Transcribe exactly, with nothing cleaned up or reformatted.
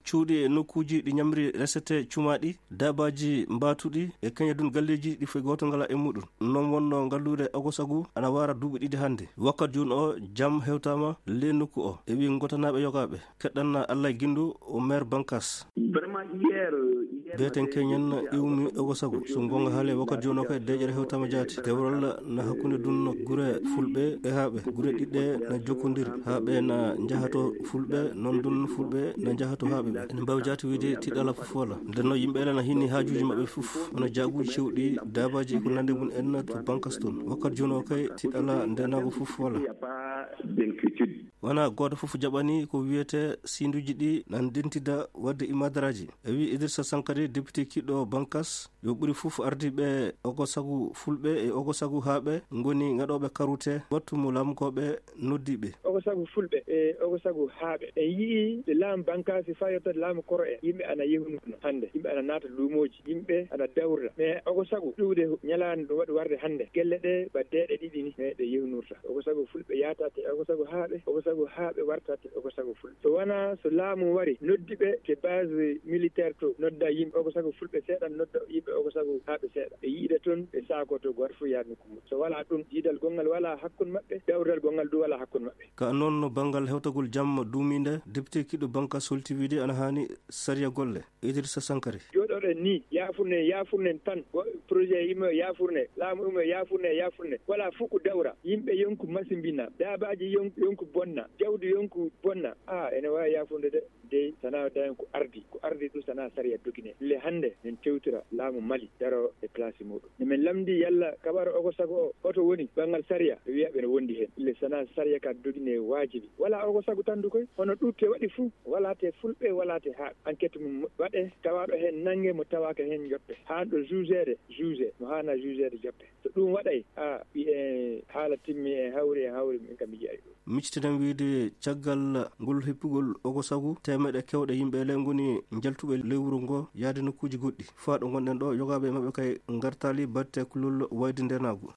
cuuɗi e nokkuuji ɗi ñamri resete cumaaɗi, daabaaji mbaatuɗi e keñadun galleeji ɗi foy gooto ngala e muɗum. Noon wonno ngalluure Ogosagu ana waara duuɓi ɗiɗi hannde. Wakkat jooni o jam hewtaama ley nokku o. E wi ngotanaaɓe yogaaɓe. Keɗɗan Allah ginndu o maire Bankas. Beten keñen iwmi Ogosagu. So ngonga haale wakkat jooni o kay deeƴere hewtaama jaati. Dewral na hakkunde dun gure fulɓe e haaɓe. Gure ɗiɗɗe na jokkondiri. Haaɓe na njahato fulɓe, noon dun fulɓe na njahato haaɓe ɓe. Ene mbaawi jaati wiide tiɗala fof wala. Ndenno yimɓe ele na hinni haajuuji maɓɓe fof. Hono jaaguuji cewɗi, daabaaji e ko nande mum en to Bankas toon. Wakkat jooni o kay tiɗala ndenaago fof wala. Wonaa gooto fof jaɓani ko wiyetee sinduuji ɗi na ndentida waɗde imadaraaji. E wi Idrissa Sankari, député kiɗɗo Bankas, yo ɓuri fof ardiiɓe Ogosagu fulɓe e Ogosagu haaɓe ngoni ngaɗooɓe karute wattu mo laamukooɓe noddi ɓe. Ogosagu fulɓe e Ogosagu haaɓe. En yi'i nde laamu Bankas faa yottata laamu koro en. Yimɓe ana yehunurno hannde. Yimɓe ana naata luumooji. Yimɓe ana dawra. Mais Ogosagu ɗuuɗe ñalaande ɗum waɗi warde hannde. Gelle ɗe ba deeɗe ɗiɗi ni, mais ɗe yehnurta. Ogosagu fulɓe yaataate, Ogosagu haaɓe, Ogosagu haaɓe wartaate, Ogosagu fulɓe. So wanaa so laamu wari, noddi ɓe ke base militaire to, nodda yimɓe Ogosagu fulɓe seeɗa, nodda yimɓe Ogosagu haaɓe seeɗa. Ɓe yiida toon, ɓe saakoto, gooto fof yaha nokku mum. So walaa ɗum, diidal gonngal walaa hakkun maɓɓe, dawral gonngal du walaa hakkun maɓɓe. Ka noon no banngal hewtagol jam duumiinde, député kiɗɗo Bankas holti wiide ana haani sariya golle. Idrissa Sankari. Jooɗoɗen ni, yaafurne, yaafurne tan. Go-, projet yimɓe yaafurne, laamu yimɓe yaafurne, yaafurne. Wala fof ko dawra. Yimɓe yonku masimbina, daabaaji yon-, yonku bonna, jawdi yonku bonna. Ah, ene waawi yaafurde de. Dey, sana dañen ko ardi. Ko ardi ɗum sana sariya dogine. Le hannde, en tewtira laamu Mali, daro e place muɗum. Ne men lamndi yalla kabaro Ogosagu o, hoto woni banngal sariya? Ɓe wiya ɓe no wondi heen. Le sana sariya ka dogine waajibi. Wala Ogosagu tan du koy, hono ɗuutte waɗi fuu, wala te fulɓe, wala te haaɓe. Enquête mum waɗe, tawaaɗo heen nannge, mo tawaaka heen joppe. Haanɗo jugeede, juge, mo haana jugeede joppe. So ɗum waɗay, a, ɓi-, e, haala timmi, en hawri, en hawri, min kam mi yi'ay ɗum. Miccitiɗen wiide caggal ngol hippugol Ogosagu, teemeɗe kewɗe yimɓe ele ngoni njaltuɓe ley wuro ngo yaade nokkuuji goɗɗi. Faa ɗo ngonɗen ɗo, yogaaɓe e maɓɓe kay ngartaali batte kulol wayde ndenaagu.